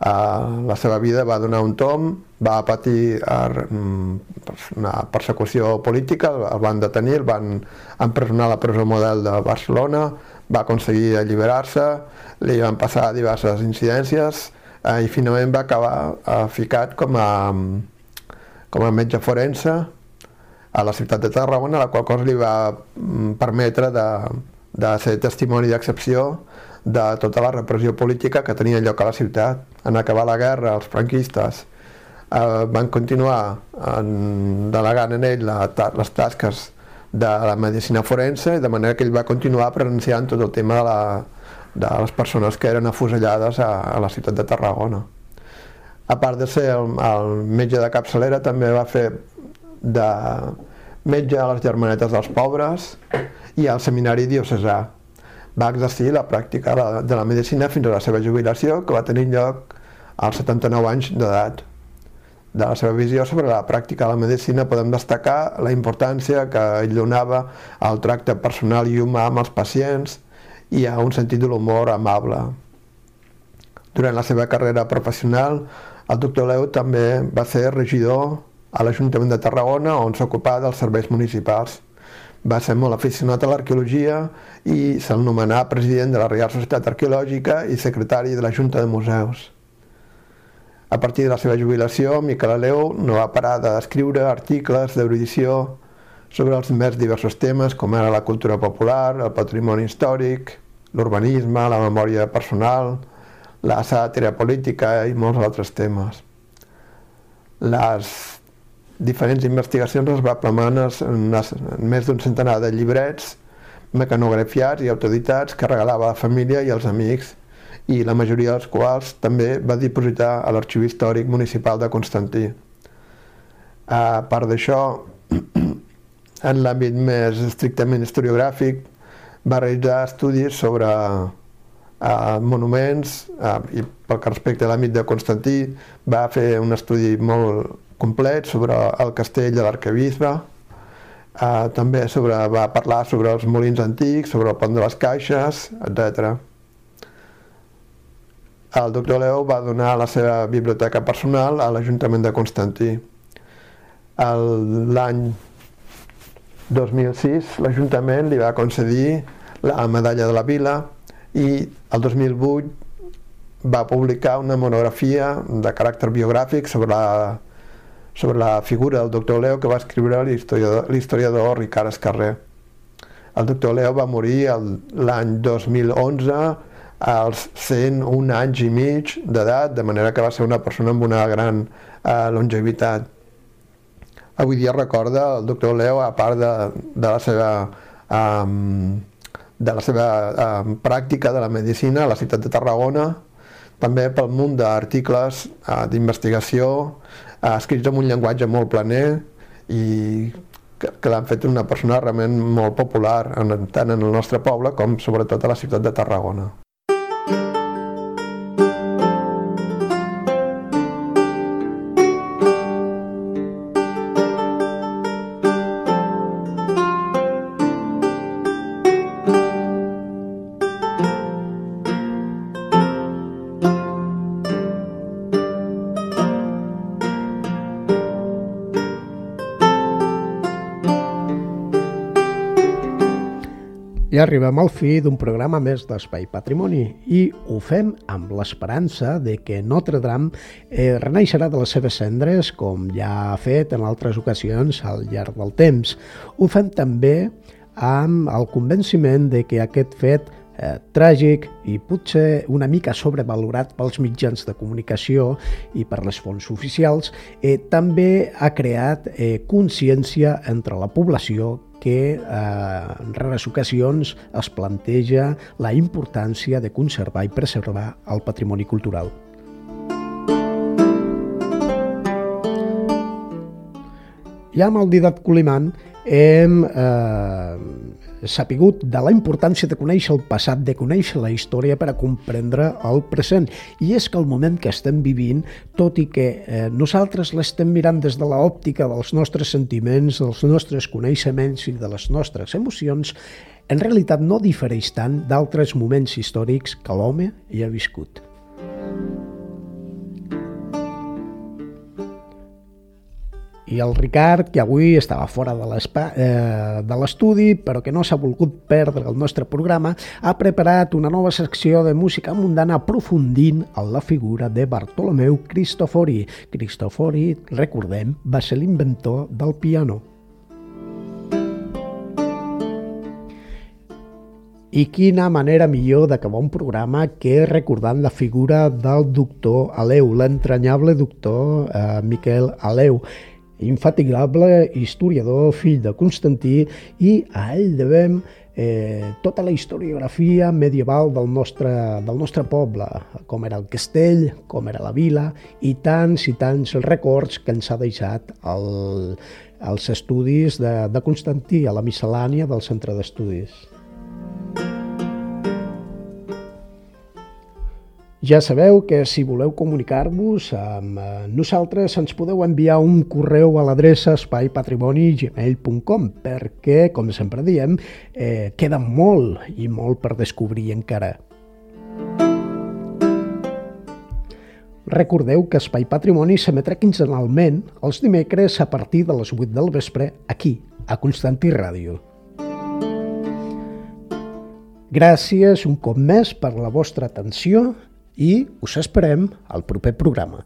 F: la seva vida va donar un tomb, va patir una persecució política, el van detenir, el van empresonar a la presó model de Barcelona, va aconseguir alliberar-se, li van passar diverses incidències i finalment va acabar ficat com a, com a metge forense a la ciutat de Tarragona, la qual cosa li va permetre de, de ser testimoni d'excepció de tota la repressió política que tenia lloc a la ciutat. En acabar la guerra, els franquistes eh, van continuar en, delegant en ell la, les tasques de la medicina forense, de manera que ell va continuar presenciant tot el tema de, la, de les persones que eren afusellades a, a la ciutat de Tarragona. A part de ser el, el metge de capçalera, també va fer de metge a les Germanetes dels Pobres i al Seminari Diocesà. Va exercir la pràctica de la medicina fins a la seva jubilació, que va tenir lloc als setanta-nou anys d'edat. De la seva visió sobre la pràctica de la medicina podem destacar la importància que ell donava al tracte personal i humà amb els pacients i a un sentit de l'humor amable. Durant la seva carrera professional, el doctor Leu també va ser regidor a l'Ajuntament de Tarragona, on s'ocupava dels serveis municipals. Va ser molt aficionat a l'arqueologia i se'l nomenà president de la Reial Societat Arqueològica i secretari de la Junta de Museus. A partir de la seva jubilació, Miquel Aleu no va parar d'escriure articles d'erudició sobre els més diversos temes, com era la cultura popular, el patrimoni històric, l'urbanisme, la memòria personal, la sàtira política i molts altres temes. Les diferents investigacions es va plasmar en més d'un centenar de llibrets mecanografiats i autoeditats que regalava a la família i als amics, i la majoria dels quals també va dipositar a l'Arxiu Històric Municipal de Constantí. A part d'això, en l'àmbit més estrictament historiogràfic, va realitzar estudis sobre eh, monuments eh, i pel que respecta a l'àmbit de Constantí va fer un estudi molt complet sobre el castell de l'arquebisbe, eh, també sobre, va parlar sobre els molins antics, sobre el pont de les Caixes, etcètera. El doctor Leu va donar la seva biblioteca personal a l'Ajuntament de Constantí. L'any dos mil sis l'Ajuntament li va concedir la medalla de la Vila i el dos mil vuit va publicar una monografia de caràcter biogràfic sobre la, sobre la figura del doctor Leu que va escriure l'historiador Ricard Escarrer. El doctor Leu va morir l'any dos mil onze als cent un anys i mig d'edat, de manera que va ser una persona amb una gran eh, longevitat. Avui dia recorda el doctor Leu, a part de, de la seva, um, de la seva um, pràctica de la medicina a la ciutat de Tarragona, també pel munt d'articles uh, d'investigació uh, escrits amb un llenguatge molt planer i que, que l'han fet una persona realment molt popular en, tant en el nostre poble com sobretot a la ciutat de Tarragona.
A: I arribem al fi d'un programa més d'Espai Patrimoni i ho fem amb l'esperança de que Notre Dame eh, renaixerà de les seves cendres com ja ha fet en altres ocasions al llarg del temps. Ho fem també amb el convenciment de que aquest fet eh, tràgic i potser una mica sobrevalorat pels mitjans de comunicació i per les fonts oficials eh, també ha creat eh, consciència entre la població que eh, en rares ocasions es planteja la importància de conservar i preservar el patrimoni cultural. Ja amb el Dídac Colimán hem eh, sapigut de la importància de conèixer el passat, de conèixer la història per a comprendre el present. I és que el moment que estem vivint, tot i que eh, nosaltres l'estem mirant des de l'òptica dels nostres sentiments, dels nostres coneixements i de les nostres emocions, en realitat no difereix tant d'altres moments històrics que l'home hi ha viscut. I el Ricard, que avui estava fora de l'estudi, però que no s'ha volgut perdre el nostre programa, ha preparat una nova secció de música mundana aprofundint en la figura de Bartolomeu Cristofori. Cristofori, recordem, va ser l'inventor del piano. I quina manera millor d'acabar un programa que recordant la figura del doctor Aleu, l'entranyable doctor eh, Miquel Aleu, infatigable historiador, fill de Constantí, i a ell devem eh, tota la historiografia medieval del nostre, del nostre poble, com era el castell, com era la vila, i tants i tants records que ens ha deixat el, els estudis de, de Constantí, a la miscel·lània del centre d'estudis. Ja sabeu que si voleu comunicar-vos amb nosaltres ens podeu enviar un correu a l'adreça espai patrimoni arroba gmail punt com perquè, com sempre diem, eh, queda molt i molt per descobrir encara. Recordeu que Espai Patrimoni s'emetrà quinzenalment els dimecres a partir de les vuit del vespre aquí, a Constantí Ràdio. Gràcies un cop més per la vostra atenció i us esperem al proper programa.